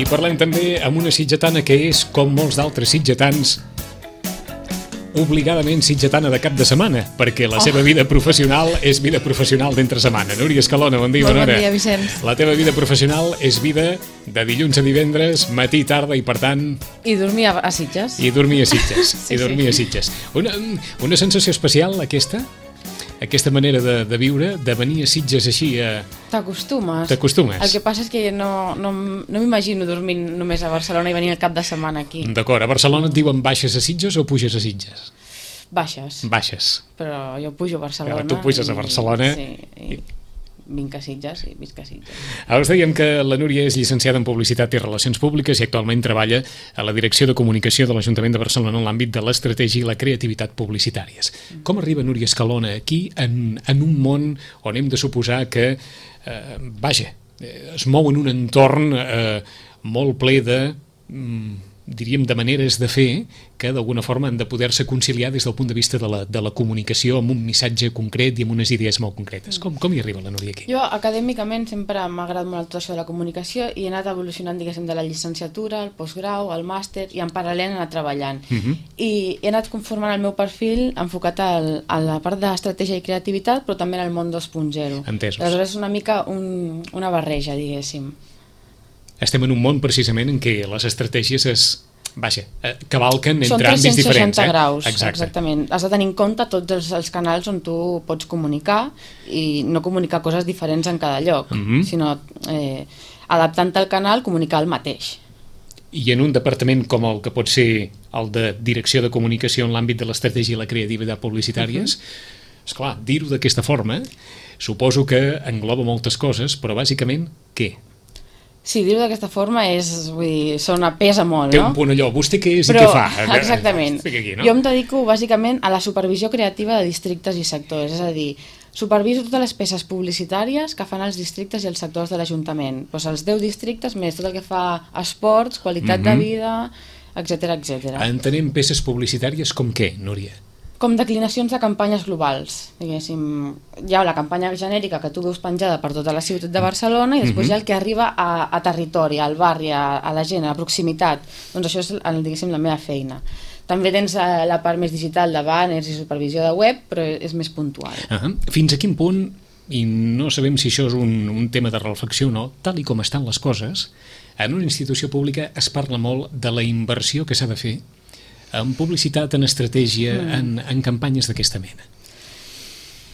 I parlem també amb una sitgetana que és, com molts d'altres sitgetans, obligadament sitgetana de cap de setmana, perquè la seva vida professional és vida professional d'entre setmana. Núria Escalona, bon dia, bona hora. Bon dia, Vicenç. La teva vida professional és vida de dilluns a divendres, matí i tarda, i per tant... I dormir a Sitges. I dormir a Sitges. Sí, I dormir a Sitges. Una sensació especial, aquesta manera de viure, de venir a Sitges així a... T'acostumes. El que passa és que no m'imagino dormint només a Barcelona i venir el cap de setmana aquí. D'acord, a Barcelona et diuen baixes a Sitges o puges a Sitges? Baixes. Baixes. Però jo pujo a Barcelona. Tu puges a Barcelona. Sí, i vinc a Sitges i visc a Sitges. Ara us dèiem que la Núria és llicenciada en Publicitat i Relacions Públiques i actualment treballa a la Direcció de Comunicació de l'Ajuntament de Barcelona en l'àmbit de l'estratègia i la creativitat publicitàries. Com arriba Núria Escalona aquí en un món on hem de suposar que es mou en un entorn molt ple de, diríem, de maneres de fer que d'alguna forma han de poder-se conciliar des del punt de vista de la comunicació amb un missatge concret i amb unes idees molt concretes. Com hi arriba la Núria aquí? Jo acadèmicament sempre m'ha agradat molt tot això de la comunicació i he anat evolucionant, diguéssim, de la llicenciatura, el postgrau, el màster i en paral·lel he anat treballant. I he anat conformant el meu perfil enfocat a la part d'estratègia i creativitat, però també en el món 2.0. Entesos. Aleshores és una mica una barreja, diguéssim. Estem en un món precisament en què les estratègies cavalquen entre àmbits diferents. Són 360 graus, Exacte. Exactament. Has de tenir en compte tots els canals on tu pots comunicar i no comunicar coses diferents en cada lloc, sinó adaptant-te al canal, comunicar el mateix. I en un departament com el que pot ser el de Direcció de Comunicació en l'àmbit de l'estratègia i la creativitat publicitàries, esclar, dir-ho d'aquesta forma suposo que engloba moltes coses, però bàsicament què? Sí, dir-ho d'aquesta forma pesa molt, no? Té un punt allò, vostè què és i què fa? Exactament. Aquí, no? Jo em dedico bàsicament a la supervisió creativa de districtes i sectors, és a dir, superviso totes les peces publicitàries que fan els districtes i els sectors de l'Ajuntament. Doncs els 10 districtes més tot el que fa esports, qualitat de vida, etc etc. Entenem peces publicitàries com què, Núria? Com declinacions de campanyes globals, diguéssim. Hi ha la campanya genèrica que tu veus penjada per tota la ciutat de Barcelona i després hi ha el que arriba a territori, al barri, a la gent, a la proximitat. Doncs això és, diguéssim, la meva feina. També tens la part més digital de banners i supervisió de web, però és més puntual. Fins a quin punt, i no sabem si això és un tema de reflexió o no, tal i com estan les coses, en una institució pública es parla molt de la inversió que s'ha de fer en publicitat, en estratègia, en campanyes d'aquesta mena.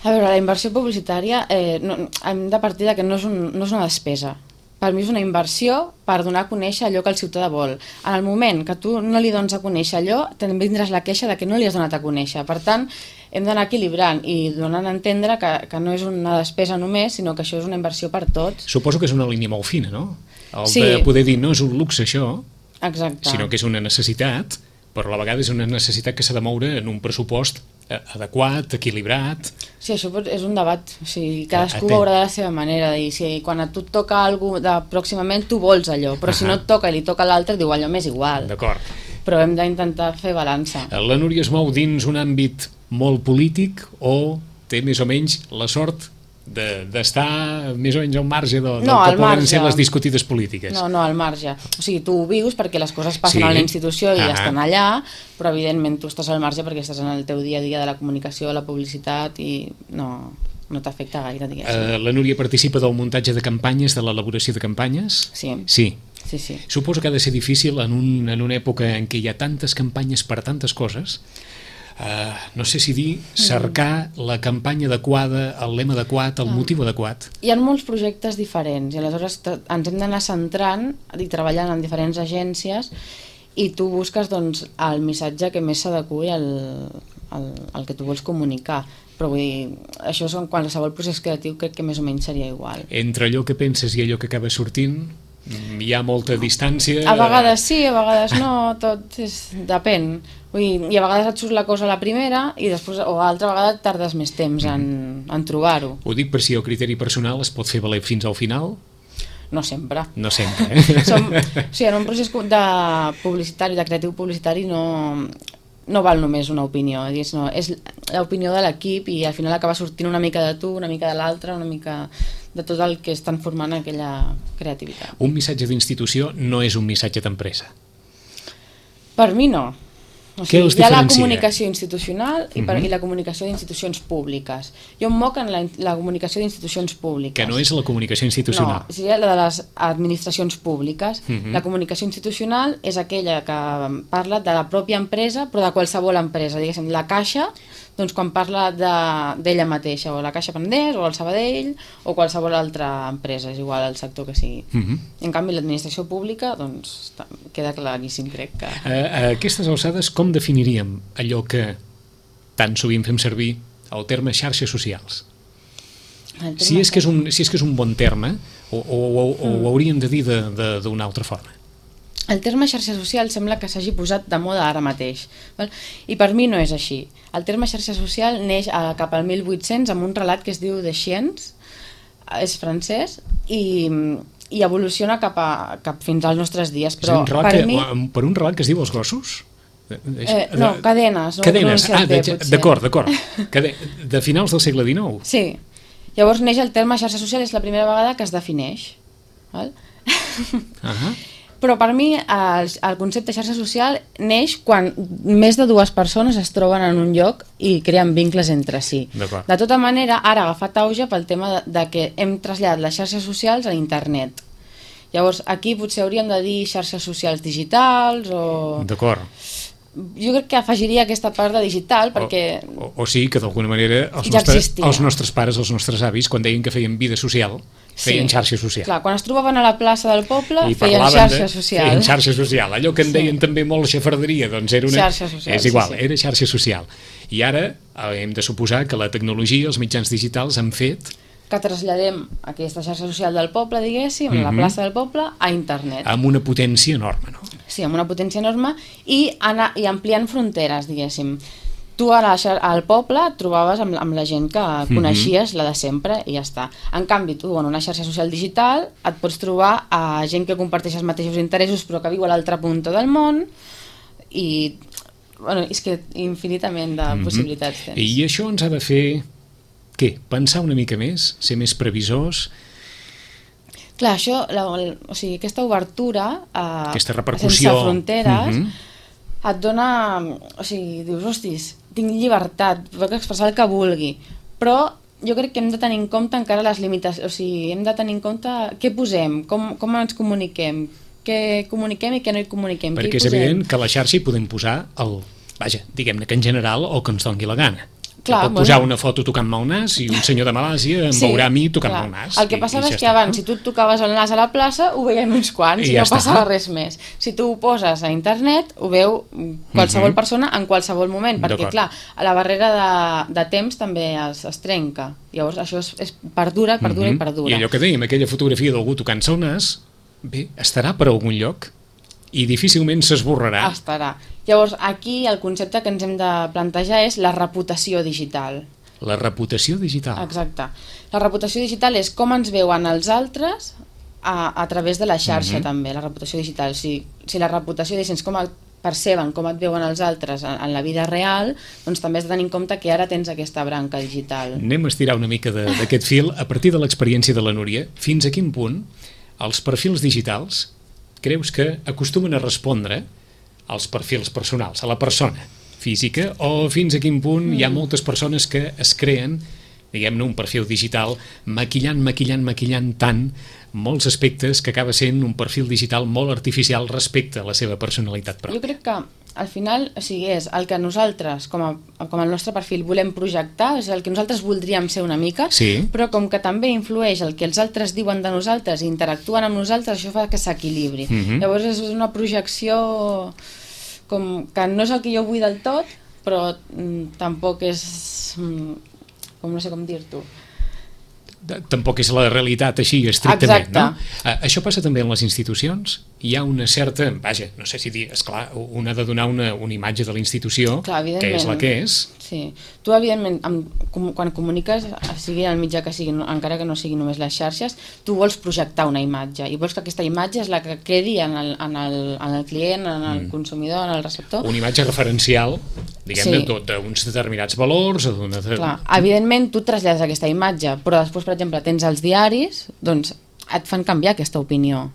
A veure, la inversió publicitària hem de partir que no és una despesa. Per mi és una inversió per donar a conèixer allò que el ciutadà vol. En el moment que tu no li dones a conèixer allò, també tindràs la queixa de que no li has donat a conèixer. Per tant, hem d'anar equilibrant i donant a entendre que no és una despesa només, sinó que això és una inversió per tots. Suposo que és una línia molt fina, no? De poder dir, no és un luxe això, sinó que és una necessitat, però a la vegada és una necessitat que s'ha de moure en un pressupost adequat, equilibrat. Sí, això és un debat. O sigui, cadascú veurà de la seva manera. Si quan a tu et toca alguna cosa pròximament, tu vols allò, però si no et toca i li toca a l'altre, diu allò m'és igual. D'acord. Però hem d'intentar fer balança. La Núria es mou dins un àmbit molt polític o té més o menys la sort d'estar més o menys al marge del que poden ser les discutides polítiques? No, al marge. O sigui, tu ho vius perquè les coses passen a la institució i estan allà, però evidentment tu estàs al marge perquè estàs en el teu dia a dia de la comunicació, la publicitat i no t'afecta gaire, diguéssim. La Núria participa del muntatge de campanyes, de l'elaboració de campanyes? Sí. Suposo que ha de ser difícil en una època en què hi ha tantes campanyes per tantes coses. No sé si dir, cercar la campanya adequada, el lema adequat, el motiu adequat. Hi ha molts projectes diferents i aleshores ens hem d'anar centrant i treballant en diferents agències i tu busques el missatge que més s'adequi al que tu vols comunicar. Però vull dir, això és en qualsevol procés creatiu, crec que més o menys seria igual. Entre allò que penses i allò que acaba sortint hi ha molta distància? A vegades sí, a vegades no, depèn. Vull dir, i a vegades et surt la cosa a la primera i després, o altra vegada tardes més temps en trobar-ho. Ho dic per si el criteri personal es pot fer valer fins al final? No sempre. No sempre, en un procés de publicitari, de creatiu publicitari, no val només una opinió, és l'opinió de l'equip i al final acaba sortint una mica de tu, una mica de l'altre, una mica de tot el que estan formant aquella creativitat. Un missatge d'institució no és un missatge d'empresa. Per mi no. O Què sigui, els hi ha la diferencia? comunicació institucional i la comunicació d'institucions públiques. Jo em moc en la comunicació d'institucions públiques. Que no és la comunicació institucional. No, seria la de les administracions públiques. La comunicació institucional és aquella que parla de la pròpia empresa, però de qualsevol empresa. Diguéssim, la Caixa, doncs quan parla d'ella mateixa, o la Caixa Pendés, o el Sabadell, o qualsevol altra empresa, és igual el sector que sigui. En canvi, l'administració pública, doncs, queda claríssim, crec que... A aquestes alçades, com definiríem allò que tan sovint fem servir el terme xarxes socials? Si és que és un bon terme, o ho hauríem de dir d'una altra forma? El terme xarxa social sembla que s'hagi posat de moda ara mateix, val? I per mi no és així. El terme xarxa social neix cap al 1800 amb un relat que es diu De Chiens, és francès, i evoluciona cap fins als nostres dies. Però per un relat que es diu Els gossos? No, Cadenes. Cadenes, d'acord. De finals del segle XIX? Sí. Llavors neix el terme xarxa social, és la primera vegada que es defineix. Val? Però per mi el concepte xarxa social neix quan més de dues persones es troben en un lloc i creen vincles entre si. De tota manera, ara ha agafat auge pel tema de que hem traslladat les xarxes socials a internet. Llavors, aquí potser hauríem de dir xarxes socials digitals o... D'acord. Jo crec que afegiria aquesta part de digital perquè... O sigui que d'alguna manera els nostres pares, els nostres avis, quan deien que feien vida social, feien xarxa social. Clar, quan es trobaven a la plaça del poble feien xarxa social. Feien xarxa social. Allò que en deien també molt xafarderia, doncs era una... Xarxa social. És igual, era xarxa social. I ara hem de suposar que la tecnologia, els mitjans digitals han fet... que traslladem aquesta xarxa social del poble, diguéssim, a la plaça del poble, a internet. Amb una potència enorme, no? Sí, amb una potència enorme i ampliant fronteres, diguéssim. Tu al poble et trobaves amb la gent que coneixies, la de sempre, i ja està. En canvi, tu en una xarxa social digital et pots trobar a gent que comparteix els mateixos interessos però que viu a l'altra punta del món i és que infinitament de possibilitats tens. I això ens ha de fer... Què? Pensar una mica més? Ser més previsors? Clar, això, aquesta obertura aquesta repercussió sense fronteres et dona... O sigui, dius, hostis, tinc llibertat, puc expressar el que vulgui, però jo crec que hem de tenir en compte encara les limitacions, o sigui, hem de tenir en compte què posem, com ens comuniquem, què comuniquem i què no hi comuniquem. Perquè és evident que a la xarxa hi podem posar diguem-ne que en general o que ens doni la gana. Clar, pot posar una foto tocant-me el nas i un senyor de Malàsia em veurà a mi tocant-me el nas. El que passava és que abans, si tu et tocaves el nas a la plaça, ho veiem uns quants i no passava res més. Si tu ho poses a internet, ho veu qualsevol persona en qualsevol moment, perquè clar, la barrera de temps també es trenca. Llavors això perdura i perdura. I allò que dèiem, aquella fotografia d'algú tocant-se el nas, bé, estarà per algun lloc i difícilment s'esborrarà. Estarà. Llavors, aquí el concepte que ens hem de plantejar és la reputació digital. La reputació digital. Exacte. La reputació digital és com ens veuen els altres a través de la xarxa també, la reputació digital. Si la reputació és com perceben, com et veuen els altres en la vida real, doncs també has de tenir en compte que ara tens aquesta branca digital. Anem a estirar una mica d'aquest fil a partir de l'experiència de la Núria. Fins a quin punt els perfils digitals creus que acostumen a respondre als perfils personals, a la persona física, o fins a quin punt hi ha moltes persones que es creen, diguem-ne, un perfil digital maquillant tant molts aspectes que acaba sent un perfil digital molt artificial respecte a la seva personalitat pròpia. Jo crec que al final, o sigui, és el que nosaltres, com el nostre perfil, volem projectar, és el que nosaltres voldríem ser una mica, però com que també influeix el que els altres diuen de nosaltres i interactuen amb nosaltres, això fa que s'equilibri. Llavors és una projecció com que no és el que jo vull del tot, però tampoc és... com no sé com dir-t'ho. Tampoc és la realitat així estrictament, no? Això passa també en les institucions? Hi ha una certa, no sé si dir, esclar, un ha de donar una imatge de la institució, que és la que és, Sí. Tu, evidentment, quan comuniques, sigui el mitjà que sigui, encara que no sigui només les xarxes, tu vols projectar una imatge i vols que aquesta imatge és la que quedi en el client, en el consumidor, en el receptor. Una imatge referencial, diguem-ne, d'uns determinats valors. Clar, evidentment, tu trasllades aquesta imatge, però després, per exemple, tens els diaris, doncs et fan canviar aquesta opinió.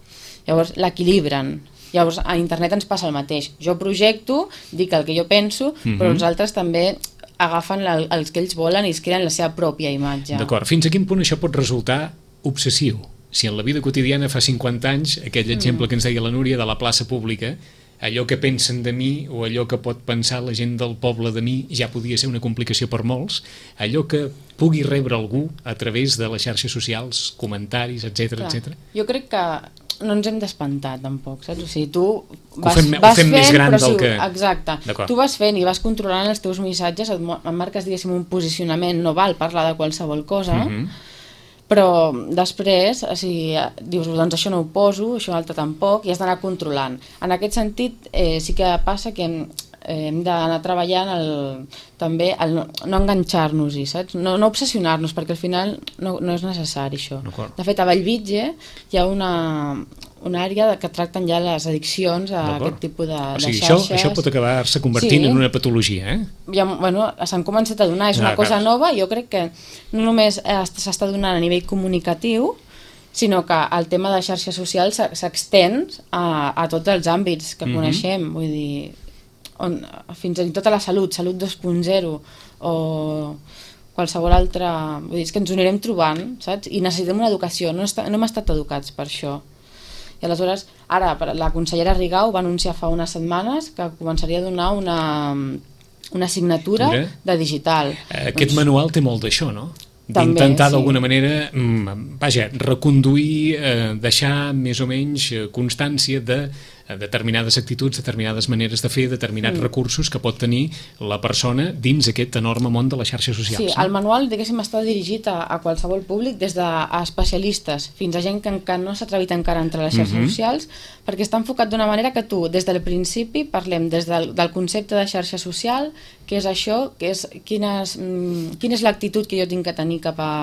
Llavors, l'equilibren. Llavors, a internet ens passa el mateix. Jo projecto, dic el que jo penso, però els altres també agafen els que ells volen i es creen la seva pròpia imatge. D'acord. Fins a quin punt això pot resultar obsessiu? Si en la vida quotidiana fa 50 anys, aquell exemple que ens deia la Núria de la plaça pública, allò que pensen de mi o allò que pot pensar la gent del poble de mi ja podia ser una complicació per molts, allò que pugui rebre algú a través de les xarxes socials, comentaris, etc etc. Jo crec que no ens hem d'espantar tampoc, saps? O sigui, tu vas fent més gran del que... Exacte. Tu vas fent i vas controlant els teus missatges, et marques, diguéssim, un posicionament, no val parlar de qualsevol cosa, però després, o sigui, dius, doncs això no ho poso, això altre tampoc, i has d'anar controlant. En aquest sentit, sí que passa que hem d'anar treballant també no enganxar-nos-hi, saps? No obsessionar-nos, perquè al final no és necessari això. De fet, a Bellvitge hi ha una àrea que tracten ja les addiccions a aquest tipus de xarxes. Això pot acabar-se convertint en una patologia, s'han començat a donar, és una cosa nova, i jo crec que no només s'està donant a nivell comunicatiu, sinó que el tema de xarxes socials s'extén a tots els àmbits que coneixem, vull dir, fins i tot a la salut 2.0 o qualsevol altra, vull dir, és que ens ho anirem trobant, saps? I necessitem una educació, no hem estat educats per això. I aleshores, ara, la consellera Rigau va anunciar fa unes setmanes que començaria a donar una assignatura de digital. Aquest manual té molt d'això, no? D'intentar d'alguna manera, reconduir, deixar més o menys constància de determinades actituds, determinades maneres de fer, determinats recursos que pot tenir la persona dins aquest enorme món de les xarxes socials. Sí, el manual, diguéssim, està dirigit a qualsevol públic, des d'especialistes fins a gent que no s'ha atrevit encara a entrar a les xarxes socials, perquè està enfocat d'una manera que tu, des del principi, parlem des del concepte de xarxa social, què és això, quina és l'actitud que jo tinc que tenir cap a...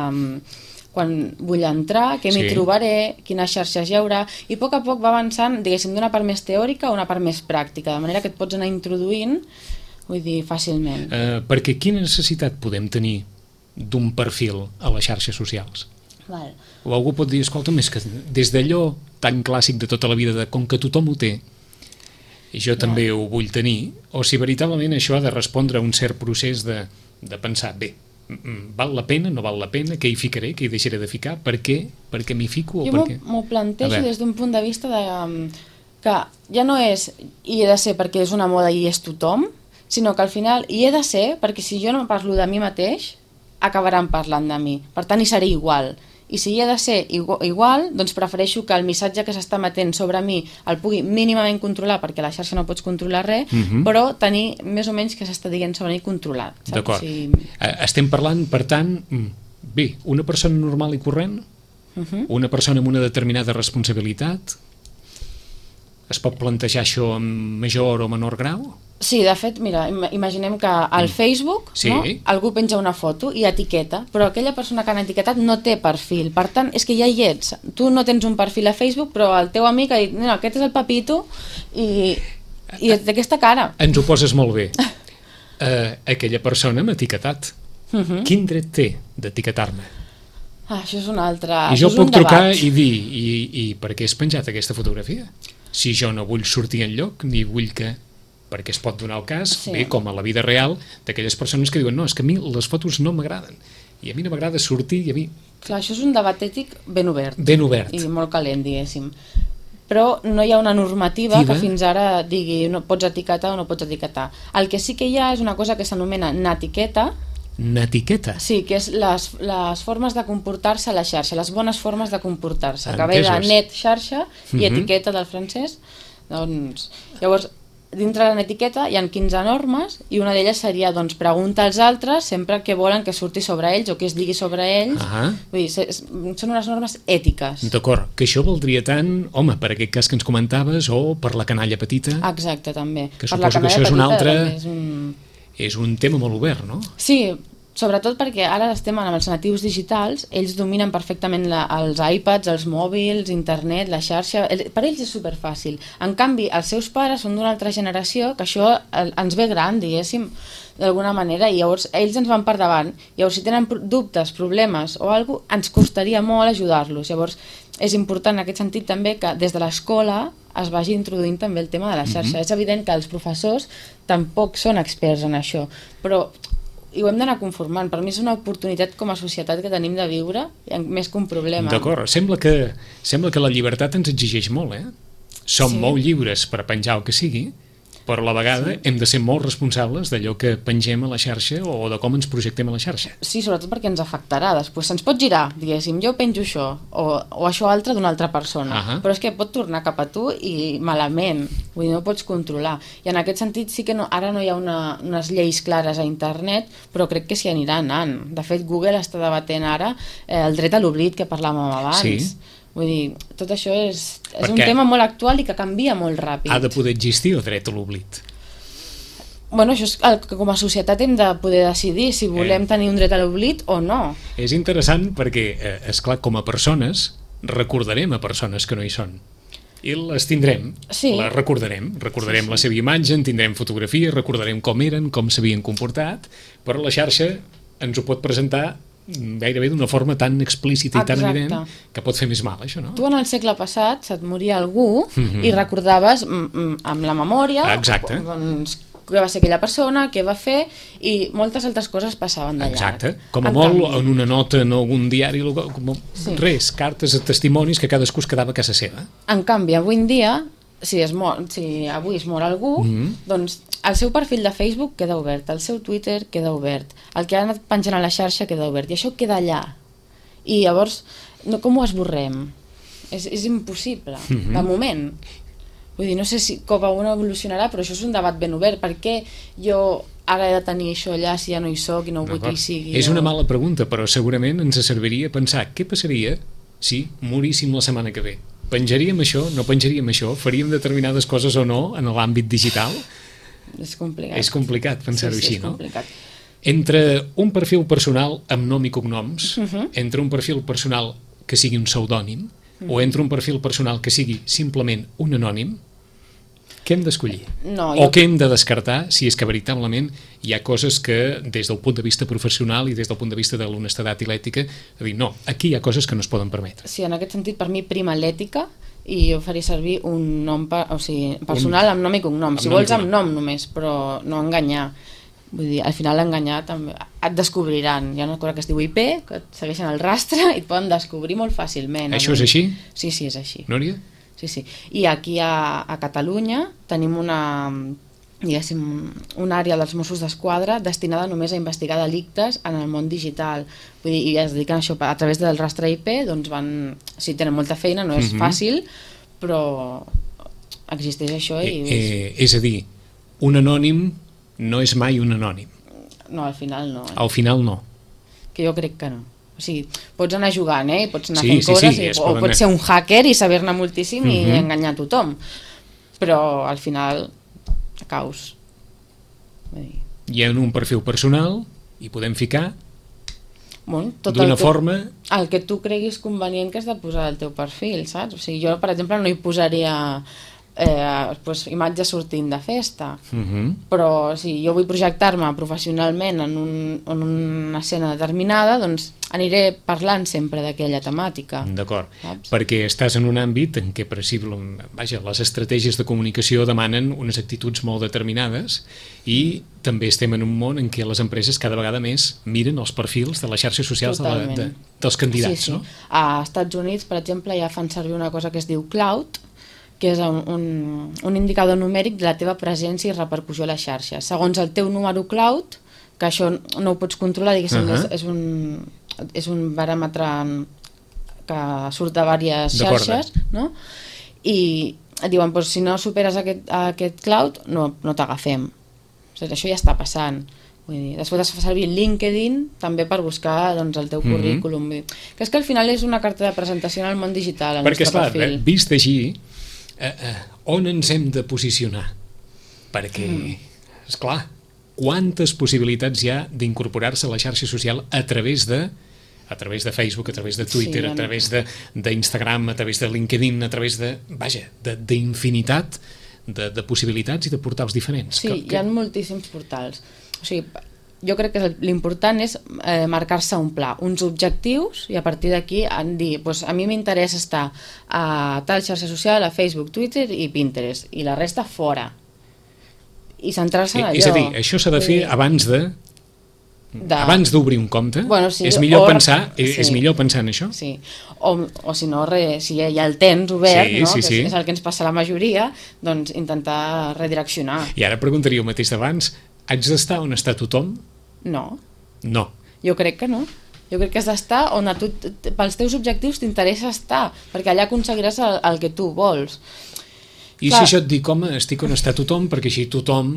quan vull entrar, què m'hi trobaré, quines xarxes hi haurà, i a poc va avançant, diguéssim, d'una part més teòrica a una part més pràctica, de manera que et pots anar introduint, vull dir, fàcilment. Perquè quina necessitat podem tenir d'un perfil a les xarxes socials? O algú pot dir, escolta'm, és que des d'allò tan clàssic de tota la vida, de com que tothom ho té, i jo també ho vull tenir, o si veritablement això ha de respondre a un cert procés de pensar, bé, val la pena, no val la pena, què hi ficaré, què hi deixaré de ficar, per què m'hi fico? Jo m'ho plantejo des d'un punt de vista que ja no és i he de ser perquè és una moda i és tothom, sinó que al final hi he de ser perquè si jo no parlo de mi mateix acabaran parlant de mi, per tant hi seré igual. I si hi he de ser igual, doncs prefereixo que el missatge que s'està emetent sobre mi el pugui mínimament controlar, perquè a la xarxa no pots controlar res, però tenir més o menys que s'està dient sobre mi controlat. D'acord. Estem parlant, per tant, bé, una persona normal i corrent, una persona amb una determinada responsabilitat, es pot plantejar això en major o menor grau? Sí, de fet, mira, imaginem que al Facebook algú penja una foto i etiqueta, però aquella persona que han etiquetat no té perfil, per tant, és que ja hi ets. Tu no tens un perfil a Facebook, però el teu amic ha dit, no, aquest és el Papito i d'aquesta cara. Ens ho poses molt bé. Aquella persona m'ha etiquetat. Quin dret té d'etiquetar-me? Això és un altre... I jo puc trucar i dir, i per què has penjat aquesta fotografia? Si jo no vull sortir enlloc, ni vull que... perquè es pot donar el cas, bé, com a la vida real, d'aquelles persones que diuen, no, és que a mi les fotos no m'agraden, i a mi no m'agrada sortir, i a mi... Clar, això és un debat ètic ben obert. Ben obert. I molt calent, diguéssim. Però no hi ha una normativa que fins ara digui no pots etiquetar o no pots etiquetar. El que sí que hi ha és una cosa que s'anomena natiqueta. Natiqueta? Sí, que és les formes de comportar-se a la xarxa, les bones formes de comportar-se, que ve de net, xarxa, i etiqueta del francès. Doncs, llavors, dintre de l'etiqueta hi ha 15 normes i una d'elles seria doncs, pregunta als altres sempre què volen que surti sobre ells o que es digui sobre ells. Vull dir, són unes normes ètiques. D'acord, que això valdria tant, home, per aquest cas que ens comentaves o per la canalla petita. Exacte, també. Que suposo que això és un altre... és un tema molt obert, no? Sí, sobretot perquè ara estem amb els natius digitals, ells dominen perfectament els iPads, els mòbils, internet, la xarxa, per ells és superfàcil. En canvi, els seus pares són d'una altra generació, que això ens ve gran, diguéssim, d'alguna manera, i llavors ells ens van per davant. Llavors, si tenen dubtes, problemes o alguna cosa, ens costaria molt ajudar-los. Llavors, és important en aquest sentit també que des de l'escola es vagi introduint també el tema de la xarxa. És evident que els professors tampoc són experts en això, però i ho hem d'anar conformant. Per mi és una oportunitat com a societat que tenim de viure, més que un problema. D'acord, sembla que la llibertat ens exigeix molt, Som molt lliures per penjar el que sigui, però a la vegada hem de ser molt responsables d'allò que pengem a la xarxa o de com ens projectem a la xarxa. Sí, sobretot perquè ens afectarà. Després se'ns pot girar, diguéssim, jo penjo això o això altre d'una altra persona, però és que pot tornar cap a tu i malament, vull dir, no pots controlar. I en aquest sentit sí que ara no hi ha unes lleis clares a internet, però crec que s'hi anirà anant. De fet, Google està debatent ara el dret a l'oblit que parlàvem abans. Sí. Vull dir, tot això és un tema molt actual i que canvia molt ràpid. Ha de poder existir el dret a l'oblit. Bueno, això és el que com a societat hem de poder decidir si volem tenir un dret a l'oblit o no. És interessant perquè, esclar, com a persones, recordarem a persones que no hi són. I les tindrem, les recordarem. Recordarem la seva imatge, en tindrem fotografies, recordarem com eren, com s'havien comportat, però la xarxa ens ho pot presentar gairebé d'una forma tan explícita i tan evident que pot fer més mal, això, no? Tu en el segle passat se't moria algú i recordaves amb la memòria doncs, què va ser aquella persona, què va fer, i moltes altres coses passaven d'allà. Exacte, com a molt en una nota en algun diari, res, cartes a testimonis que cadascú es quedava a casa seva. En canvi, avui en dia, si avui es mor algú, doncs el seu perfil de Facebook queda obert, el seu Twitter queda obert, el que ha anat penjant a la xarxa queda obert, i això queda allà. I llavors, com ho esborrem? És impossible, de moment. Vull dir, no sé si com a una evolucionarà, però això és un debat ben obert. Per què jo ara he de tenir això allà si ja no hi soc i no vull que hi sigui? És una mala pregunta, però segurament ens serviria pensar què passaria si moríssim la setmana que ve. Penjaríem això, no penjaríem això? Faríem determinades coses o no en l'àmbit digital? És complicat. És complicat pensar-ho així, no? Complicat. Entre un perfil personal amb nom i cognoms, entre un perfil personal que sigui un pseudònim, o entre un perfil personal que sigui simplement un anònim, què hem d'escollir? O què hem de descartar si és que veritablement hi ha coses que des del punt de vista professional i des del punt de vista de l'honestedat i l'ètica, dir, no, aquí hi ha coses que no es poden permetre. Sí, en aquest sentit, per mi prima l'ètica, i jo faria servir un nom personal amb nom i cognom. Si vols amb nom només, però no enganyar. Vull dir, al final enganyar també et descobriran. Hi ha una cosa que es diu IP, que et segueixen el rastre i et poden descobrir molt fàcilment. Això és així? Sí, és així. Núria? Sí. I aquí a Catalunya tenim diguéssim, una àrea dels Mossos d'Esquadra destinada només a investigar delictes en el món digital. Vull dir, i es dediquen a això a través del rastre IP, doncs sí, tenen molta feina, no és fàcil, però existeix això i... És a dir, un anònim no és mai un anònim. No, al final no. Al final no. Que jo crec que no. O sigui, pots anar jugant, i pots anar fent coses, o pots ser un hacker i saber-ne moltíssim i enganyar a tothom. Però al final caus. I en un perfil personal hi podem ficar d'una forma... El que tu creguis convenient que has de posar al teu perfil, saps? O sigui, jo, per exemple, no hi posaria imatges sortint de festa, però si jo vull projectar-me professionalment en una escena determinada, doncs aniré parlant sempre d'aquella temàtica. D'acord, perquè estàs en un àmbit en què les estratègies de comunicació demanen unes actituds molt determinades i també estem en un món en què les empreses cada vegada més miren els perfils de les xarxes socials dels candidats. No? A Estats Units, per exemple, ja fan servir una cosa que es diu cloud, que és un indicador numèric de la teva presència i repercussió a la xarxa. Segons el teu número cloud, que això no ho pots controlar, diguéssim, és un baròmetre que surt de diverses xarxes, no? I et diuen, si no superes aquest cloud, no t'agafem. Això ja està passant. Després es fa servir LinkedIn també per buscar el teu currículum. Que és que al final és una carta de presentació en el món digital. Perquè, esclar, vist així, on ens hem de posicionar? Perquè, esclar, quantes possibilitats hi ha d'incorporar-se a la xarxa social a través de Facebook, a través de Twitter, a través d'Instagram, a través de LinkedIn, a través d'infinitat de possibilitats i de portals diferents. Sí, hi ha moltíssims portals. O sigui, jo crec que l'important és marcar-se un pla, uns objectius, i a partir d'aquí dir, doncs a mi m'interessa estar a tal xarxa social, a Facebook, Twitter i Pinterest, i la resta fora. I centrar-se en allò. És a dir, això s'ha de fer abans d'obrir un compte. Bueno, sí, és millor pensar en això. Sí. O si no, si ja el tens obert, no? Sí. És el que ens passa a la majoria, doncs intentar redireccionar. I ara preguntaria el mateix d'abans, haig d'estar on està tothom? No. Jo crec que no. Jo crec que has d'estar on pels teus objectius t'interessa estar, perquè allà aconseguiràs el que tu vols. I si jo et dic, home, estic on està tothom, perquè així tothom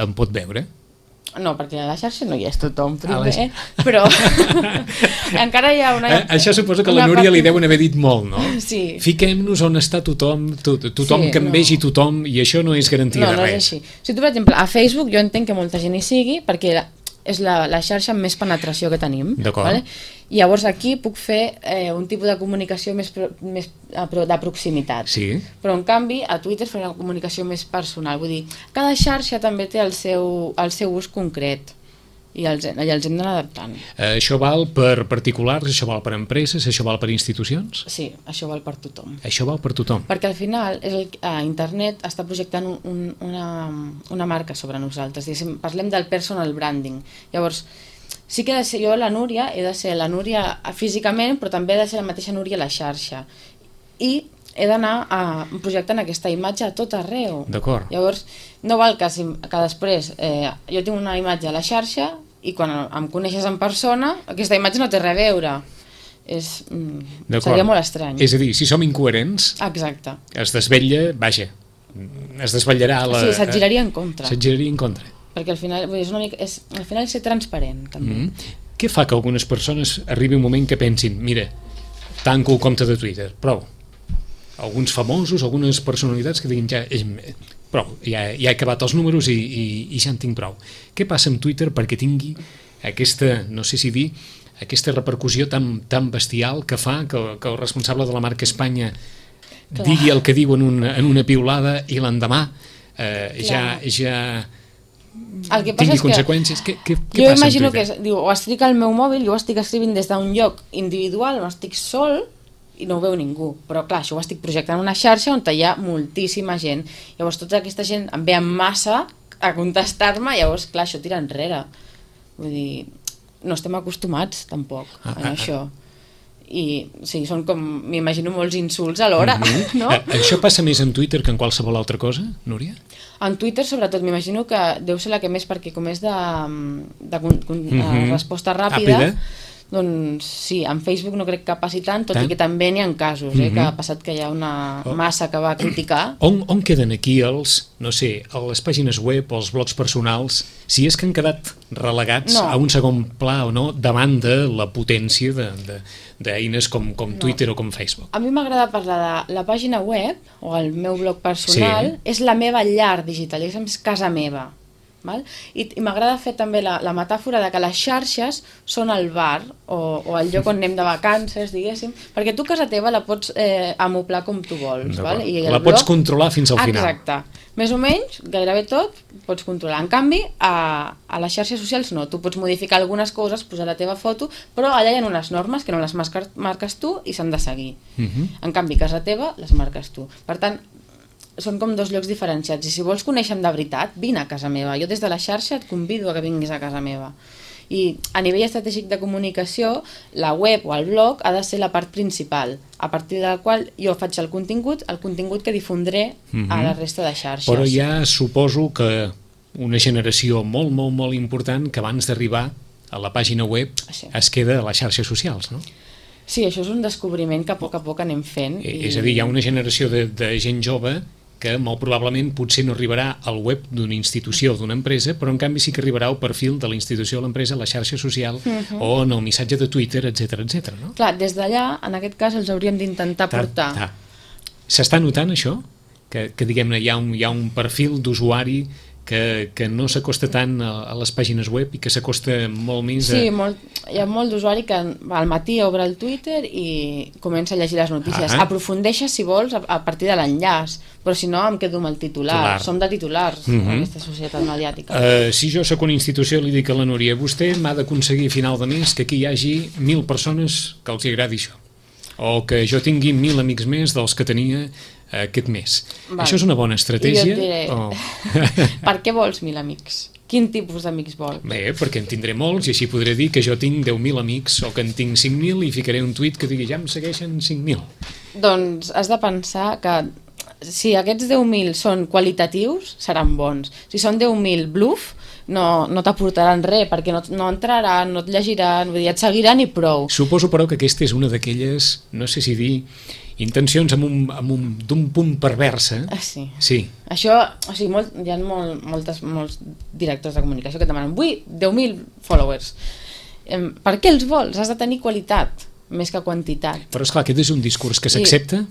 em pot veure? No, perquè a la xarxa no hi és tothom, primer, però encara hi ha una... Això suposo que a la Núria li deuen haver dit molt, no? Sí. Fiquem-nos on està tothom que em vegi tothom, i això no és garantia de res. No és així. Si tu, per exemple, a Facebook jo entenc que molta gent hi sigui, perquè és la xarxa amb més penetració que tenim. D'acord. Vale? I llavors aquí puc fer un tipus de comunicació més de proximitat. Sí. Però en canvi a Twitter faré una comunicació més personal. Vull dir, cada xarxa també té el seu ús concret i els hem d'anar adaptant. Això val per particulars, això val per empreses, això val per institucions? Sí, això val per tothom. Això val per tothom. Perquè al final internet està projectant una marca sobre nosaltres. Parlem del personal branding. Llavors, sí que he de ser jo la Núria, he de ser la Núria físicament, però també he de ser la mateixa Núria a la xarxa. I he d'anar projectant aquesta imatge a tot arreu. D'acord. Llavors, no val que després jo tinc una imatge a la xarxa i quan em coneixes en persona, aquesta imatge no té res a veure. Seria molt estrany. És a dir, si som incoherents, exacte, es desvetllarà sí, se't giraria en contra. Perquè al final és ser transparent, també. Què fa que algunes persones arribi un moment que pensin, mira, tanco el compte de Twitter, prou. Alguns famosos, algunes personalitats que diguin prou, ja he acabat els números i ja en tinc prou. Què passa amb Twitter perquè tingui aquesta, no sé si dir, aquesta repercussió tan bestial que fa que el responsable de la marca Espanya digui el que diu en una piulada i l'endemà ja tingui conseqüències? Què passa amb Twitter? Jo imagino que ho escric al meu mòbil, jo ho estic escrivint des d'un lloc individual on estic sol i no ho veu ningú, però clar, això ho estic projectant en una xarxa on hi ha moltíssima gent. Llavors tota aquesta gent em ve en massa a contestar-me, llavors clar, això tira enrere. Vull dir, no estem acostumats tampoc a això. I sí, són com, m'imagino, molts insults alhora, no? Això passa més en Twitter que en qualsevol altra cosa, Núria? En Twitter, sobretot, m'imagino que deu ser la que més, perquè com és de resposta ràpida, doncs sí, en Facebook no crec que passi tant, tot i que també n'hi ha casos, que ha passat que hi ha una massa que va criticar. On queden aquí les pàgines web o els blogs personals, si és que han quedat relegats a un segon pla o no, davant de la potència d'eines com Twitter o com Facebook? A mi m'agrada parlar de la pàgina web o el meu blog personal, és la meva llar digital, és casa meva. Val? I m'agrada fer també la metàfora de que les xarxes són el bar o el lloc on anem de vacances, diguéssim, perquè tu casa teva la pots amoblar com tu vols. Val? I la pots controlar fins al final. Exacte. Més o menys, gairebé tot, pots controlar. En canvi, a les xarxes socials no. Tu pots modificar algunes coses, posar la teva foto, però allà hi ha unes normes que no les marques tu i s'han de seguir. En canvi, casa teva les marques tu. Per tant, són com dos llocs diferenciats, i si vols conèixer-me de veritat, vine a casa meva. Jo des de la xarxa et convido a que vinguis a casa meva. I a nivell estratègic de comunicació, la web o el blog ha de ser la part principal, a partir de la qual jo faig el contingut que difondré a la resta de xarxes. Però ja suposo que una generació molt, molt, molt important que abans d'arribar a la pàgina web es queda a les xarxes socials, no? Sí, això és un descobriment que a poc anem fent. És a dir, hi ha una generació de gent jove que molt probablement potser no arribarà al web d'una institució o d'una empresa, però en canvi sí que arribarà al perfil de la institució o l'empresa, a la xarxa social o en el missatge de Twitter, etc. No? Clar, des d'allà, en aquest cas, els hauríem d'intentar portar. S'està notant això? Que diguem-ne, hi ha un perfil d'usuari que no s'acosta tant a les pàgines web i que s'acosta molt més Sí, hi ha molt d'usuari que al matí obre el Twitter i comença a llegir les notícies. Aprofundeixes, si vols, a partir de l'enllaç, però si no em quedo amb el titular. Som de titulars, en aquesta societat mediàtica. Si jo sóc una institució, li dic a la Núria, vostè m'ha d'aconseguir a final de mes que aquí hi hagi 1.000 persones que els agradi això, o que jo tingui 1.000 amics més dels que tenia aquest mes. Això és una bona estratègia? I jo et diré, per què vols 1.000 amics? Quin tipus d'amics vols? Bé, perquè en tindré molts i així podré dir que jo tinc 10.000 amics o que en tinc 5.000 i ficaré un tuit que digui ja em segueixen 5.000. Doncs has de pensar que si aquests 10.000 són qualitatius, seran bons. Si són 10.000 bluff, no t'aportaran res, perquè no entraran, no et llegiran, vull dir, et seguiran i prou. Suposo, però, que aquesta és una d'aquelles, no sé si dir, intencions d'un punt perversa. Sí. Això, o sigui, hi ha molts directors de comunicació que et demanen, vull 10.000 followers. Per què els vols? Has de tenir qualitat, més que quantitat. Però, esclar, aquest és un discurs que s'accepta?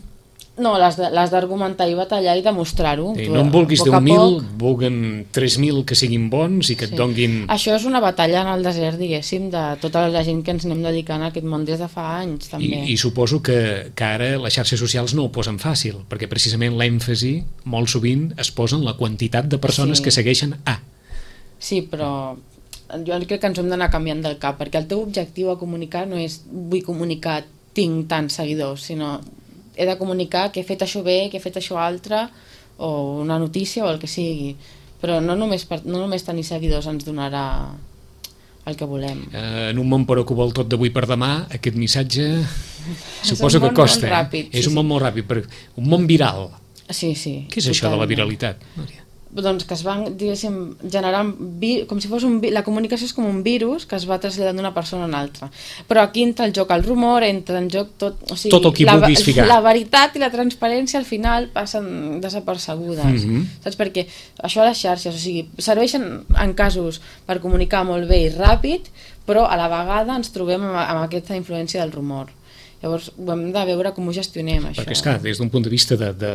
No, l'has d'argumentar i batallar i demostrar-ho. No en vulguis 10.000, vulguin 3.000 que siguin bons i que et donguin... Això és una batalla en el desert, diguéssim, de tota la gent que ens anem dedicant a aquest món des de fa anys, també. I suposo que ara les xarxes socials no ho posen fàcil, perquè precisament l'èmfasi molt sovint es posa en la quantitat de persones que segueixen a. Sí, però jo crec que ens hem d'anar canviant del cap, perquè el teu objectiu a comunicar no és vull comunicar, tinc tants seguidors, sinó he de comunicar que he fet això bé, que he fet això altre, o una notícia o el que sigui. Però no només tenir seguidors ens donarà el que volem. En un món però que ho vol tot d'avui per demà, aquest missatge suposo que costa. És un món molt ràpid, un món viral. Sí. Què és això de la viralitat, Núria? Doncs que es van, diguéssim, generant com si fos la comunicació és com un virus que es va traslladant d'una persona a una altra. Però aquí entra el joc el rumor, entra en joc tot, o sigui, tot el que vulguis ficar. La veritat i la transparència al final passen desapercebudes. Saps? Perquè això a les xarxes, o sigui, serveixen en casos per comunicar molt bé i ràpid, però a la vegada ens trobem amb aquesta influència del rumor. Llavors ho hem de veure com ho gestionem, això. Perquè, esclar, des d'un punt de vista de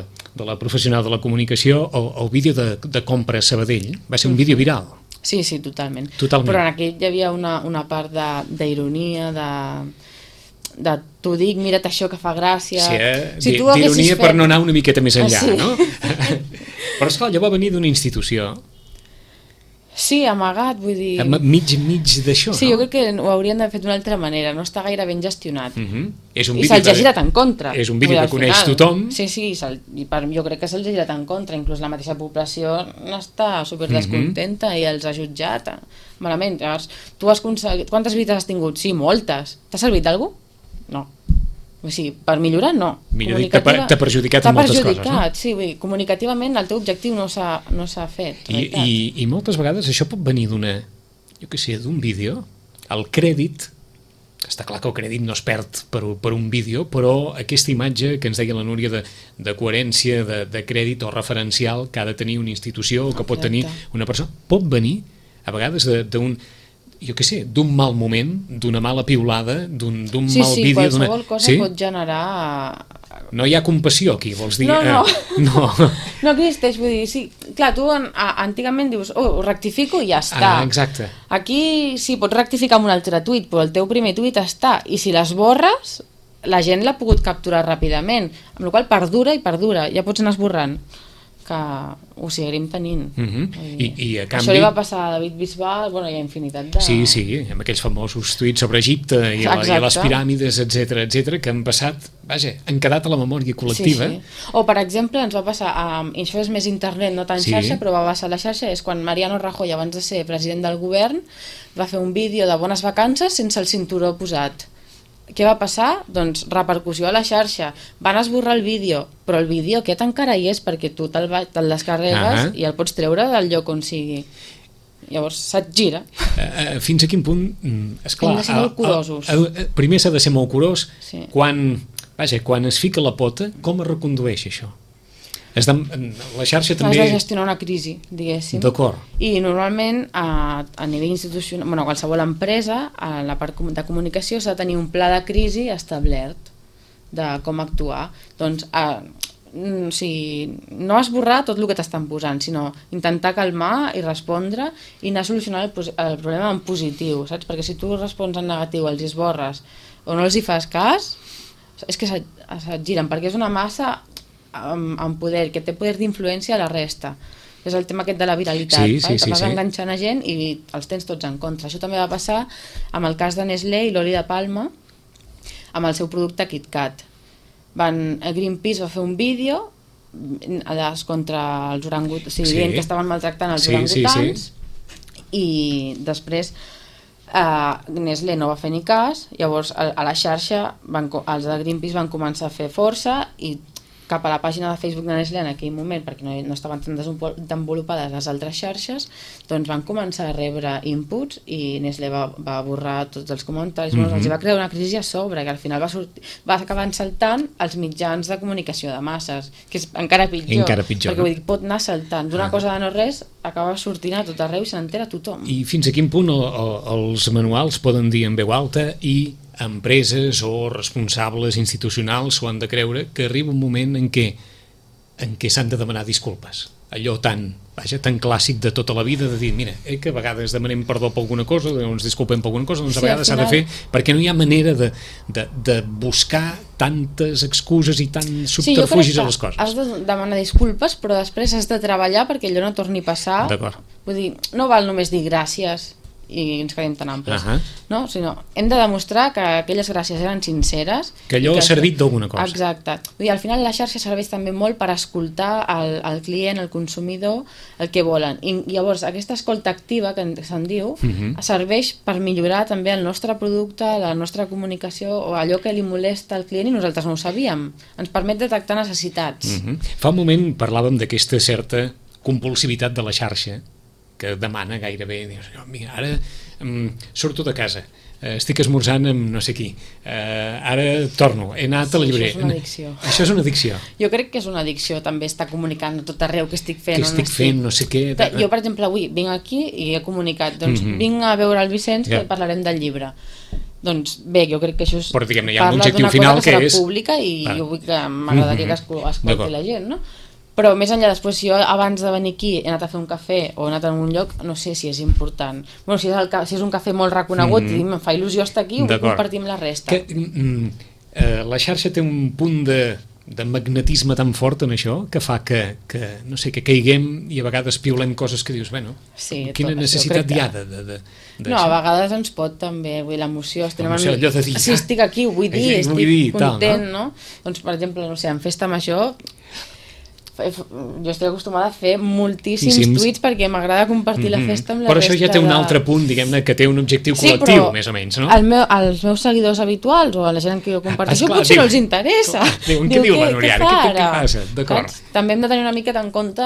la professional de la comunicació, el vídeo de compra a Sabadell va ser un vídeo viral. Sí, totalment. Però en aquell hi havia una part d'ironia, de t'ho dic, mira't això que fa gràcia... Sí, d'ironia per no anar una miqueta més enllà, no? Però, esclar, allò va venir d'una institució... Sí, amagat, vull dir... Mig d'això, no? Sí, jo crec que ho haurien d'haver fet d'una altra manera, no està gaire ben gestionat. I se'ls ha girat en contra. És un vídeo que coneix tothom. Sí, jo crec que se'ls ha girat en contra, inclús la mateixa població està super descontenta i els ha jutjat malament. Llavors, tu has aconseguit... Quantes visites has tingut? Sí, moltes. T'ha servit d'algú? No. O sigui, per millorar, no. Millor dit, t'ha perjudicat en moltes coses, no? Sí, vull dir, comunicativament el teu objectiu no s'ha fet. I moltes vegades això pot venir d'un vídeo, el crèdit, està clar que el crèdit no es perd per un vídeo, però aquesta imatge que ens deia la Núria de coherència, de crèdit o referencial que ha de tenir una institució o que pot tenir una persona, pot venir a vegades d'un mal moment, d'una mala piulada, d'un mal vídeo... Sí, qualsevol cosa pot generar... No hi ha compassió aquí, vols dir? No existeix, vull dir, sí, clar, tu antigament dius, ho rectifico i ja està. Exacte. Aquí sí, pots rectificar amb un altre tuit, però el teu primer tuit està, i si l'esborres, la gent l'ha pogut capturar ràpidament, amb la qual cosa perdura, ja pots anar esborrant, que ho seguirem tenint. I a canvi... Això li va passar a David Bisbal, hi ha infinitat de... Sí, amb aquells famosos tuits sobre Egipte i les piràmides, etc que han passat, han quedat a la memòria col·lectiva. Sí. O, per exemple, ens va passar, i això és més internet, no tant xarxa, però va passar a la xarxa, és quan Mariano Rajoy, abans de ser president del govern, va fer un vídeo de bones vacances sense el cinturó posat. Què va passar? Doncs repercussió a la xarxa. Van esborrar el vídeo, però el vídeo aquest encara hi és perquè tu te'l descarregues i el pots treure del lloc on sigui. Llavors se't gira. Fins a quin punt... Esclar, hem de ser molt curosos. Primer s'ha de ser molt curós. Quan es fica la pota, com es recondueix això? La xarxa també... Has de gestionar una crisi, diguéssim. D'acord. I normalment a nivell institucional, qualsevol empresa, a la part de comunicació s'ha de tenir un pla de crisi establert de com actuar. Doncs o sigui, no esborrar tot el que t'estan posant, sinó intentar calmar i respondre i anar solucionant el problema en positiu, saps? Perquè si tu respons en negatiu, els esborres o no els hi fas cas, és que se't giren, perquè és una massa amb poder, que té poder d'influència a la resta. És el tema aquest de la viralitat, que vas enganxant a gent i els tens tots en contra. Això també va passar amb el cas de Nestlé i l'oli de palma amb el seu producte KitKat. Greenpeace va fer un vídeo contra els orangutans, dient que estaven maltractant els orangutans, i després Nestlé no va fer ni cas. Llavors a la xarxa els de Greenpeace van començar a fer força i cap a la pàgina de Facebook de Nestlé en aquell moment, perquè no estaven tan desenvolupades les altres xarxes, doncs van començar a rebre inputs i Nestlé va borrar tots els comentaris. Els va crear una crisi a sobre, que al final va acabar saltant als mitjans de comunicació de masses, que és encara pitjor, perquè vull dir, pot anar saltant d'una cosa de no res, acaba sortint a tot arreu i se n'entera tothom. I fins a quin punt els manuals poden dir en veu alta i empreses o responsables institucionals s'ho han de creure, que arriba un moment en què s'han de demanar disculpes? Allò tan clàssic de tota la vida, de dir, mira, que a vegades demanem perdó per alguna cosa, ens disculpem per alguna cosa, doncs a vegades s'ha de fer, perquè no hi ha manera de buscar tantes excuses i tants subterfugis a les coses. Has de demanar disculpes, però després has de treballar perquè allò no torni a passar. D'acord. Vull dir, no val només dir gràcies i ens quedem tan amples, no? Sinó hem de demostrar que aquelles gràcies eren sinceres, que allò ha servit d'alguna cosa. Exacte. Vull dir, al final la xarxa serveix també molt per escoltar el client, el consumidor, el que volen, i llavors aquesta escolta activa, que se'n diu, serveix per millorar també el nostre producte, la nostra comunicació, o allò que li molesta al client i nosaltres no ho sabíem. Ens permet detectar necessitats. Fa un moment parlàvem d'aquesta certa compulsivitat de la xarxa, que demana gairebé, dius, mira, ara surto de casa, estic esmorzant amb no sé qui, ara torno, he anat a la llibreria. Això és una addicció. Això és una addicció. Jo crec que és una addicció també estar comunicant a tot arreu què estic fent. Què estic fent, no sé què. Jo, per exemple, avui vinc aquí i he comunicat, doncs vinc a veure el Vicenç que parlarem del llibre. Doncs bé, jo crec que això però diguem-ne, hi ha un objectiu final que és pública i jo vull que m'agradaria que escolti la gent, no? Però més enllà, després, si jo abans de venir aquí he anat a fer un cafè o he anat a un lloc, no sé si és important. Bueno, si és un cafè molt reconegut i em fa il·lusió estar aquí, ho vull compartir amb la resta. La xarxa té un punt de magnetisme tan fort en això que fa que no sé, que caiguem i a vegades piulem coses que dius, bueno, quina necessitat hi ha de no, a vegades ens pot també, vull dir, l'emoció, allò de dir, si estic aquí, ho vull dir, estic content, no? Doncs, per exemple, no sé, en festa major jo estic acostumada a fer moltíssims tuits perquè m'agrada compartir la festa amb la però resta. Però això ja té un altre punt, diguem-ne, que té un objectiu col·lectiu, més o menys, no? Els meus seguidors habituals o la gent que jo comparteixo potser no els interessa. Què diu la Núria? Què passa? D'acord. També hem de tenir una mica en compte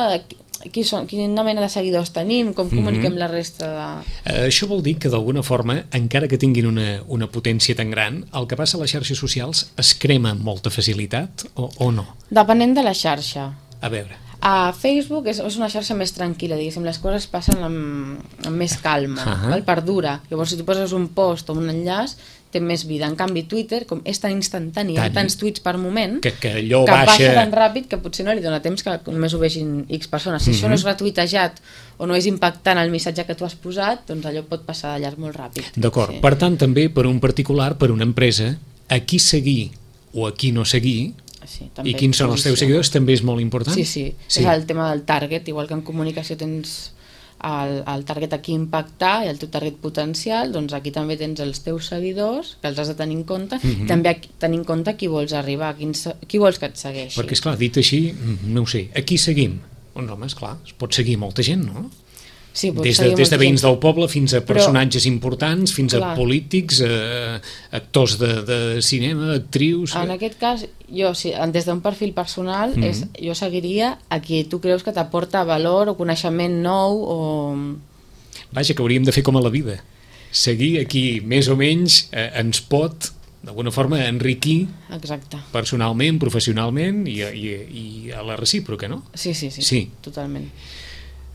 quina mena de seguidors tenim, com comuniquem la resta de... Això vol dir que d'alguna forma, encara que tinguin una potència tan gran, el que passa a les xarxes socials es crema amb molta facilitat o no? Depenent de la xarxa. A veure. A Facebook és una xarxa més tranquil·la, diguéssim, les coses passen amb més calma, perdura. Llavors, si tu poses un post o un enllaç, té més vida. En canvi, Twitter, com és tan instantani, hi ha tants tuits per moment, que allò baixa tan ràpid que potser no li dona temps que només ho vegin X persones. Si això no és retuitejat o no és impactant el missatge que tu has posat, doncs allò pot passar de llarg molt ràpid. D'acord. Per tant, també per un particular, per una empresa, a qui seguir o a qui no seguir, i quins són els teus seguidors, també és molt important? Sí. És el tema del target, igual que en comunicació tens el target a qui impactar i el teu target potencial, doncs aquí també tens els teus seguidors, que els has de tenir en compte, i també tenir en compte a qui vols arribar, qui vols que et segueixi. Perquè, esclar, dit així, no ho sé, a qui seguim? Doncs home, esclar, es pot seguir molta gent, no? Sí, des de veïns del poble fins a personatges importants, fins a polítics, actors de cinema, actrius... En aquest cas, jo, des d'un perfil personal, jo seguiria a qui tu creus que t'aporta valor o coneixement nou o... Vaja, que hauríem de fer com a la vida. Seguir a qui més o menys ens pot, d'alguna forma, enriquir personalment, professionalment i a la recíproca, no? Sí, totalment.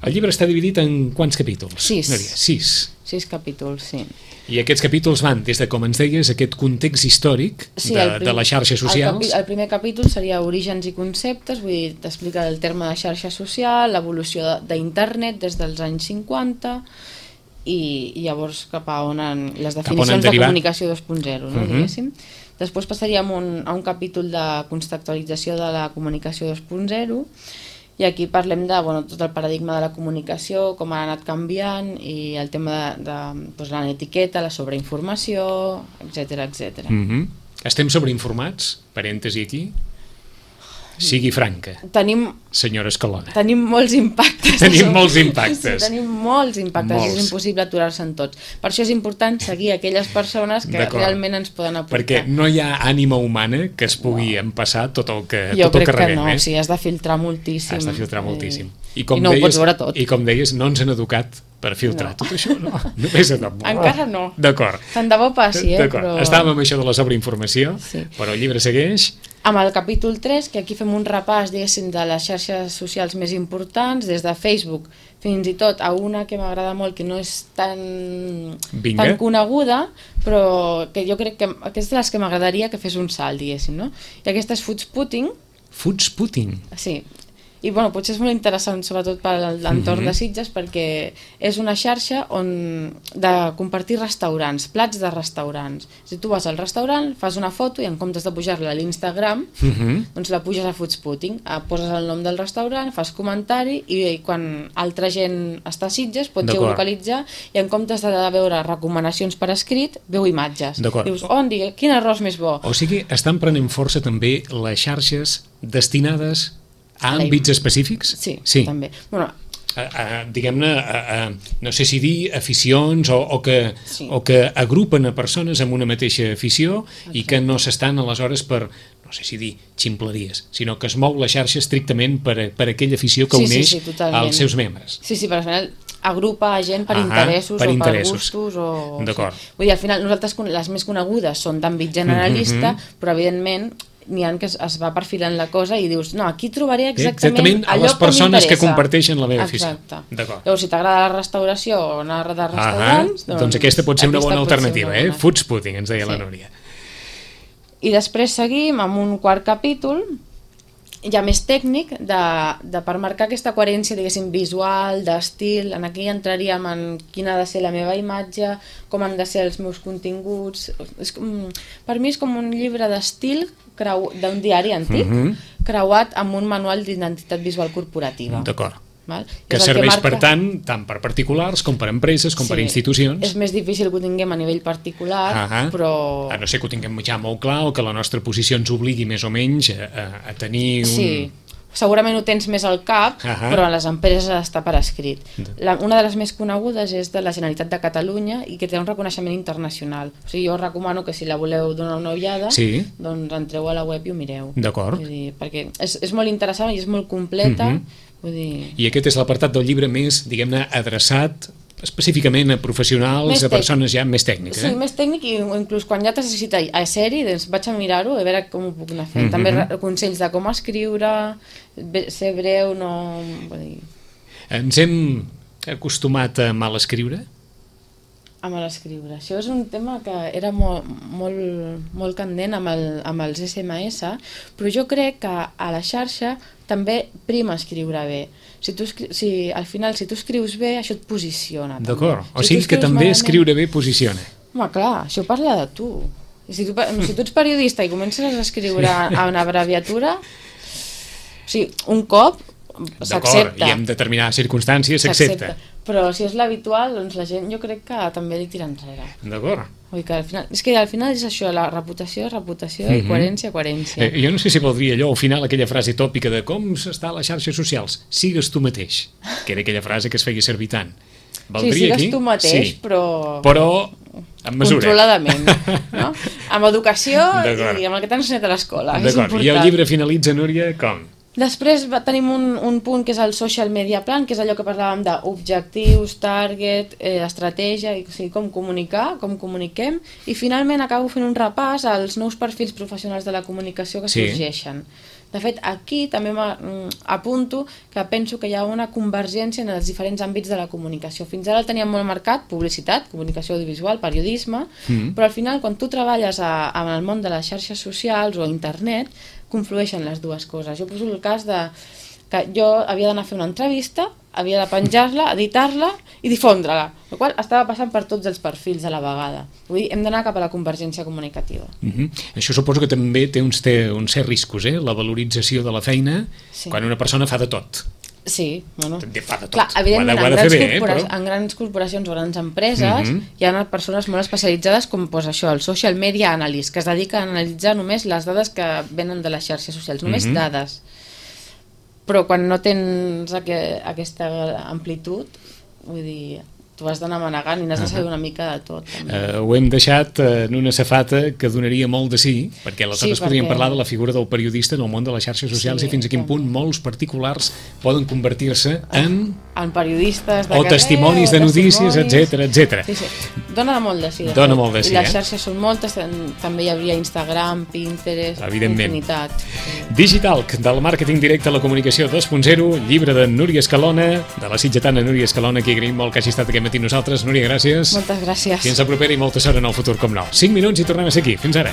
El llibre està dividit en quants capítols? 6. No diria, 6. 6 capítols, sí. I aquests capítols van des de, com ens deies, aquest context històric de les xarxes socials. El primer capítol seria orígens i conceptes, vull dir, t'explica el terme de xarxa social, l'evolució d'internet des dels anys 50 i llavors cap a on les definicions de comunicació 2.0, no, diguéssim. Després passaríem a un capítol de contextualització de la comunicació 2.0 i aquí parlem de tot el paradigma de la comunicació, com ha anat canviant i el tema de l'etiqueta, la sobreinformació, etc. Estem sobreinformats? Parèntesi aquí. Sigui franca, senyora Escalona. Tenim molts impactes. Tenim molts impactes. Sí, tenim molts impactes, és impossible aturar-se en tots. Per això és important seguir aquelles persones que realment ens poden aportar. Perquè no hi ha ànima humana que es pugui empassar tot el que rebem. Jo crec que no, sí, has de filtrar moltíssim. Has de filtrar moltíssim. I no ho pots veure tot. I com deies, no ens han educat per filtrar tot això, no? Encara no. D'acord. Tant de bo passi, però... Estàvem amb això de la sobreinformació, però el llibre segueix... Amb el capítol 3, que aquí fem un repàs, diguéssim, de les xarxes socials més importants, des de Facebook fins i tot a una que m'agrada molt, que no és tan coneguda, però que jo crec que aquesta és de les que m'agradaria que fes un salt, diguéssim, no? I aquesta és Foodsputting. Foodsputting? Sí. I potser és molt interessant, sobretot per l'entorn de Sitges, perquè és una xarxa de compartir restaurants, plats de restaurants. Si tu vas al restaurant, fas una foto i en comptes de pujar-la a l'Instagram, doncs la puges a Foodsputting, poses el nom del restaurant, fas comentari i quan altra gent està a Sitges pot geolocalitzar i en comptes de veure recomanacions per escrit, veu imatges. Dius, quin arròs més bo. O sigui, estan prenent força també les xarxes destinades a àmbits específics? Sí, també. Diguem-ne, no sé si dir aficions o que agrupen a persones amb una mateixa afició i que no s'estan aleshores per, no sé si dir ximpleries, sinó que es mou la xarxa estrictament per aquella afició que uneix als seus membres. Sí, per final agrupa gent per interessos o per gustos. D'acord. Vull dir, al final nosaltres les més conegudes són d'àmbit generalista, però evidentment n'hi ha que es va perfilant la cosa i dius, no, aquí trobaré exactament a les persones que comparteixen la meva afició. Llavors, si t'agrada la restauració o anar de restaurants... Doncs aquesta pot ser una bona alternativa, Foodsputting, ens deia la Núria. I després seguim amb un quart capítol ja més tècnic per marcar aquesta coherència, diguéssim, visual, d'estil. En aquí entraríem en quina ha de ser la meva imatge, com han de ser els meus continguts. Per mi és com un llibre d'estil d'un diari antic creuat amb un manual d'identitat visual corporativa. D'acord. Que serveix per tant per particulars com per empreses, com per institucions. És més difícil que ho tinguem a nivell particular, però... A no ser que ho tinguem ja molt clar o que la nostra posició ens obligui més o menys a tenir un... Sí, segurament ho tens més al cap, però a les empreses està per escrit. Una de les més conegudes és de la Generalitat de Catalunya i que té un reconeixement internacional. O sigui, jo recomano que si la voleu donar una ullada, doncs entreu a la web i ho mireu. D'acord. Perquè és molt interessant i és molt completa. I aquest és l'apartat del llibre més, diguem-ne, adreçat específicament a professionals, a persones ja més tècniques. Sí, més tècnic i inclús quan ja t'has necessita a ser-hi, doncs vaig a mirar-ho, a veure com ho puc anar fent. També consells de com escriure, ser breu, no... Ens hem acostumat a mal escriure? A mal escriure. Això és un tema que era molt candent amb els SMS, però jo crec que a la xarxa també prima escriure bé. Al final, si tu escrius bé, això et posiciona. D'acord. O sigui que també escriure bé posiciona. Home, clar, això parla de tu. Si tu ets periodista i comences a escriure a una abreviatura, o sigui, un cop s'accepta. D'acord, i en determinades circumstàncies s'accepta. Però si és l'habitual, doncs la gent jo crec que també li tira enrere. D'acord. És que al final és això, la reputació i coherència. Jo no sé si voldria allò, al final, aquella frase tòpica de com s'està a les xarxes socials. Sigues tu mateix, que era aquella frase que es feia servir tant. Sí, sigues tu mateix, però amb mesura. Controladament, no? Amb educació i amb el que t'han ensenyat a l'escola. D'acord, i el llibre finalitza, Núria, com? Després tenim un punt que és el social media plan, que és allò que parlàvem d'objectius, target, estratègia, o sigui, com comunicar, com comuniquem, i finalment acabo fent un repàs als nous perfils professionals de la comunicació que sorgeixen. De fet, aquí també apunto que penso que hi ha una convergència en els diferents àmbits de la comunicació. Fins ara el teníem molt marcat, publicitat, comunicació audiovisual, periodisme, però al final, quan tu treballes en el món de les xarxes socials o internet, conflueixen les dues coses. Jo poso el cas de que jo havia d'anar a fer una entrevista, havia de penjar-la, editar-la i difondre-la, el qual estava passant per tots els perfils a la vegada. Vull dir, hem d'anar cap a la convergència comunicativa. Això suposo que també té uns certs riscos, la valorització de la feina, quan una persona fa de tot. Sí, bueno. També fa de tot. Clar, evidentment, en grans corporacions o grans empreses hi ha persones molt especialitzades com això, el social media analyst, que es dedica a analitzar només les dades que venen de les xarxes socials, només dades. Però quan no tens aquesta amplitud, vull dir, tu has d'anar manegant i n'has de saber una mica de tot. Ho hem deixat en una safata que donaria molt de sí, perquè aleshores podríem parlar de la figura del periodista en el món de les xarxes socials i fins a quin punt molts particulars poden convertir-se en periodistes de o testimonis de notícies, etc. Sí. Dona molt de sí. Dona molt de sí, I les xarxes són moltes, també hi hauria Instagram, Pinterest, infinitat. Digitalk, del màrqueting directe a la comunicació 2.0, llibre de Núria Escalona, de la sitgetana Núria Escalona, que agraïm molt que hagi estat aquest matí nosaltres. Núria, gràcies. Moltes gràcies. Fins la propera i molta sort en el futur, com no. 5 minuts i tornem a ser aquí. Fins ara.